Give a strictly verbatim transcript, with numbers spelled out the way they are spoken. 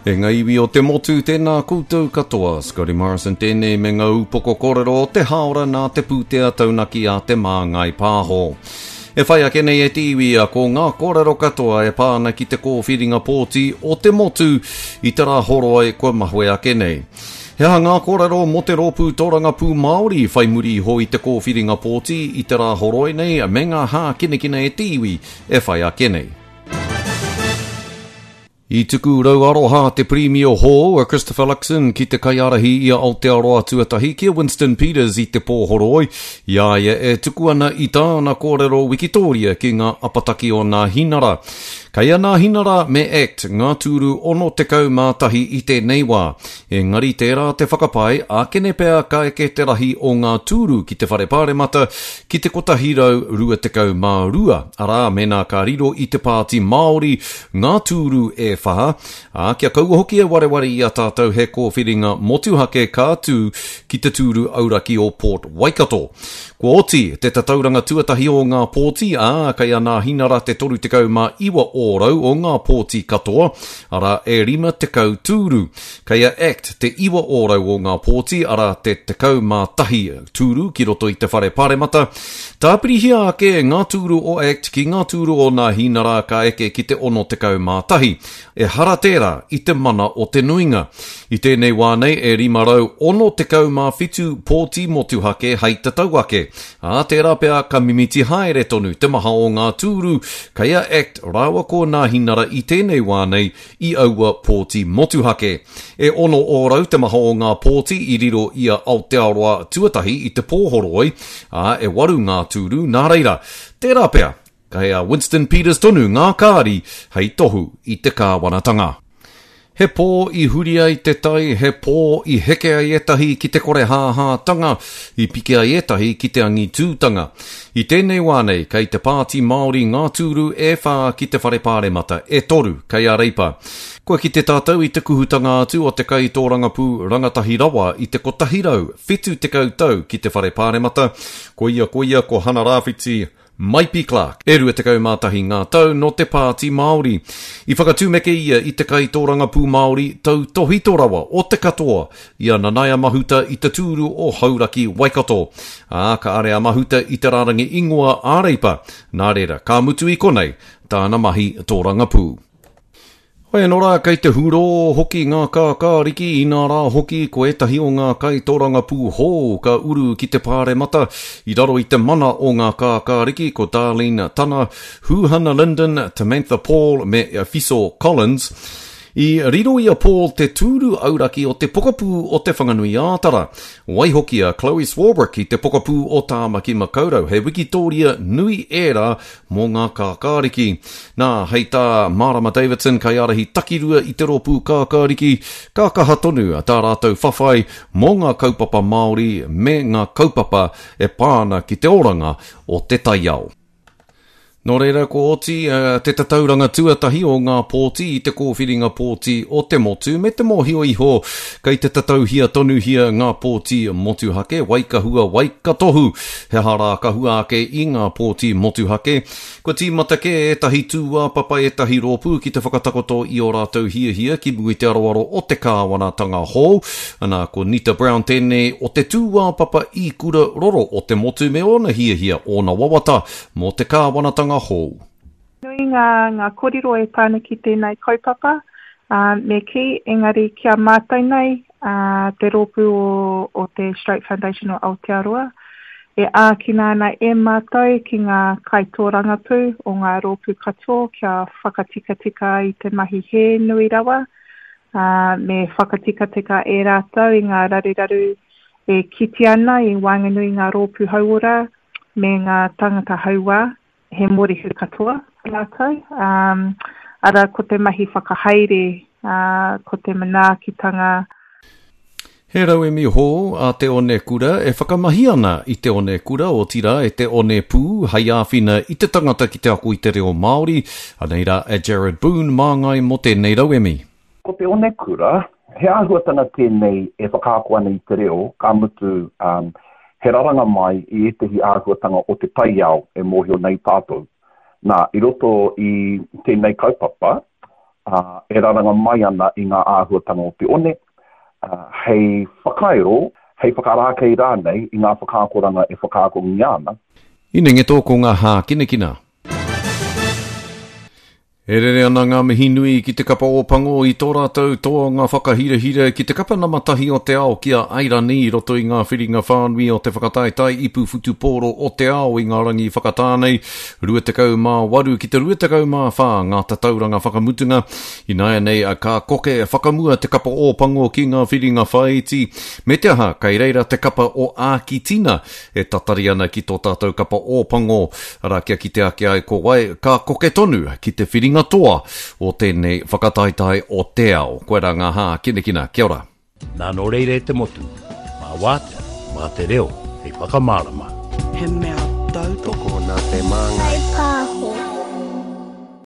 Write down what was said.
E ngā iwi o te motu, tēnā koutou katoa. Scotty Morrison tēnei me ngā upoko kōrero o te hāora nā te pūtea taunaki a Te Māngai Pāho. E whai ake nei e te iwi a ko ngā kōrero katoa e pā ana ki te kōwhiringa pōti o te motu i te rā horoi kua mahue ake nei. He aha ngā kōrero mō te rōpū tōrangapū Māori whai muri iho i te kōwhiringa pōti i te rā horoi nei me ngā hākinakina e te iwi e whai ake nei. I tuku rau aroha te Pirimia hou a Christopher Luxon ki te kaiārahi i a Aotearoa tuatahi ki a Winston Peters i te pōhoroi, i a ia e tuku ana i tāna kōrero wikitōria ki ngā apataki o Nāhinara. Kei a Nāhinara me ACT ngā tūru ono tekau mā tahi i tēnei wā. Engari tērā te whakapae, ākene pea ka eke te rahi o ngā tūru ki te whare pāremata ki te kotahi rau rua tekau mā rua, arā mēnā ka riro i te Pāti Māori ngā tūru e whā, ā, kia kaua hoki e wareware i a tātou he kōwhiringa motuhake ka tū ki te tūru auraki o Port Waikato. Kua oti te tatauranga tuatahi o ngā pōti, ā, kei a Nāhinara te toru tekau mā iwa ōrau o ngā pōti katoa, arā e rima tekau tūru. Kei a ACT te iwa ōrau o ngā pōti, arā te tekau mā tahi tūru ki roto i te whare paremata. Tāpirihia ake ngā tūru o ACT ki ngā tūru o Nāhinara ka eke ki te ono tekau mā tahi. Ehara tērā i te mana o te nuinga. I tēnei wā nei e rima rau ono tekau mā whitu pōti motuhake hei tatau ake. Ā, tērā pea ka mimiti haere tonu te maha o ngā tūru kei a ACT rāua ko Nāhinara i tēnei wā nei i aua pōti motuhake. E ono ōrau te maha o ngā pōti i riro i a Aotearoa tuatahi i te pōhoroi, ā, e waru ngā tūru nā reira. Tērā pea, kei a Winston Peters tonu ngā kāri hei tohu i te kāwanatanga. He pō i huri ai te tai, he pō i heke ai ētahi ki te kore hāhātanga, i piki ai ētahi ki te angitūtanga. I tēnei wā nei, kei te Pāti Māori ngā tūru e whā ki te whare pāremata, e toru kei a Reipa. Kua kite tātou i te kuhutanga atu o te kaitōrangapū rangatahi rawa i te kotahi rau whitu tekau tau ki te whare pāremata, koia koia ko Hana Rāwhiti Maipi Clark, e rua tekau mā tahi ngā tau nō te Pāti Māori. I whakatūmeke ia i te kaitōrangapū Māori tautōhito rawa o te katoa i a Nanaia Mahuta i te tūru o Hauraki Waikato. Ā, ka are a Mahuta i te rārangi ingoa a Reipa. Nā reira, ka mutu i konei tāna mahi tōrangapū. Hoi anō rā, kei te hurō hoki ngā kākāriki, inā rā hoki ko ētahi o ngā kaitōrangapū hou ka uru ki te pāremata i raro i te mana o ngā kākāriki ko Darlene Tana, Huhana Lyndon, Tamantha Paul me Fiso Collins. I riro i a Paul te tūru auraki o te pokapū o Te Whanganui-ā-Tara. Waihoki a Chloe Swarbrick i te pokapū o Tāmaki Makaurau, he wikitōria nui ērā mō ngā kākāriki. Nā, hei tā Marama Davidson, kaiārahi takirua i te rōpū kākāriki, ka kaha tonu tā rātou whawhai mō ngā kaupapa Māori me ngā kaupapa e pā ana ki te oranga o te taiao. Nō reira, ko oti te tatauranga tuatahi o ngā pōti i te kōwhiringa pōti o te motu me te mōhio iho kei te tatauhia tonuhia ngā pōti motuhake, waikahua, waikatohu. He aha rā ka hua ake i ngā pōti motuhake? Kua tīmata kē ētahi tūāpapa, ētahi rōpū ki te whakatakoto i ō rātou hiahia ki mua i te aroaro o te kāwanatanga hou. Ana, ko Nita Brown tēnei o te tūāpapa ikura roro o te motu me ōna hiahia, ōna wawata mō te kāwanatanga hou. Nui ngā, ngā kōrero e pā ana ki tēnei kaupapa, ā, me kī, engari ki a mātou nei, ā, te rōpū o, o te Stroke Foundation o Aotearoa, e ākina ana e mātou ki ngā kaitōrangapū o ngā rōpū katoa kia whakatikatika i te mahi hē nui rawa, ā, me whakatikatika e rātou i ngā raruraru e kite ana i waenganui i ngā rōpū hauora me ngā tangata hauā, he mōrehu katoa rātou. Um, ara ko te mahi whakahaere, uh, ko te manaakitanga. He rauemi hou a Te Onekura e whakamahi ana i Te Onekura, otirā e Te Onepū hei āwhina i te tangata ki te ako i te reo Māori. Anei rā a Jared Boone māngai mō tēnei rauemi. Ko Te Onekura, he āhuatanga tēnei e whakaako ana i te reo, ka mutu, um, he raranga mai i ētehi āhuatanga o te taiao e mōhio nei tātou. Nā, i roto i tēnei kaupapa, ā, e raranga mai ana i ngā āhuatanga o te one, ā, hei whakairo, hei whakarākei rānei i ngā whakaakoranga e whakaakongia ana. Inengeto ko ngā hākinakina. E rere ana ngā mihi nui ki te kapa Ōpango i tō rātou toanga whakahirahira ki te kapa nama tahi o te ao ki a Airani i roto i ngā whiringa whānui o te whakataetae ipu whutupōro o te ao i ngā rangi whakatā nei, rua tekau mā waru ki te rua tekau mā whā ngā tatauranga whakamutunga. Ināianei ka koke whakamua te kapa Ōpango ki ngā whiringa whāiti, me te aha kei reira te kapa o Ākitina e tatari ana ki tō tātou kapa Ōpango, arā kia kite ake ai ko wai ka koke tonu ki te whiringa toa o tēnei whakataetae o te ao. Koirā ngā hākinakina. Kia ora. Nā nō reira e te motu, mā wātea, mā te reo hei whakamārama. He mea tautoko. Tokona te māngai.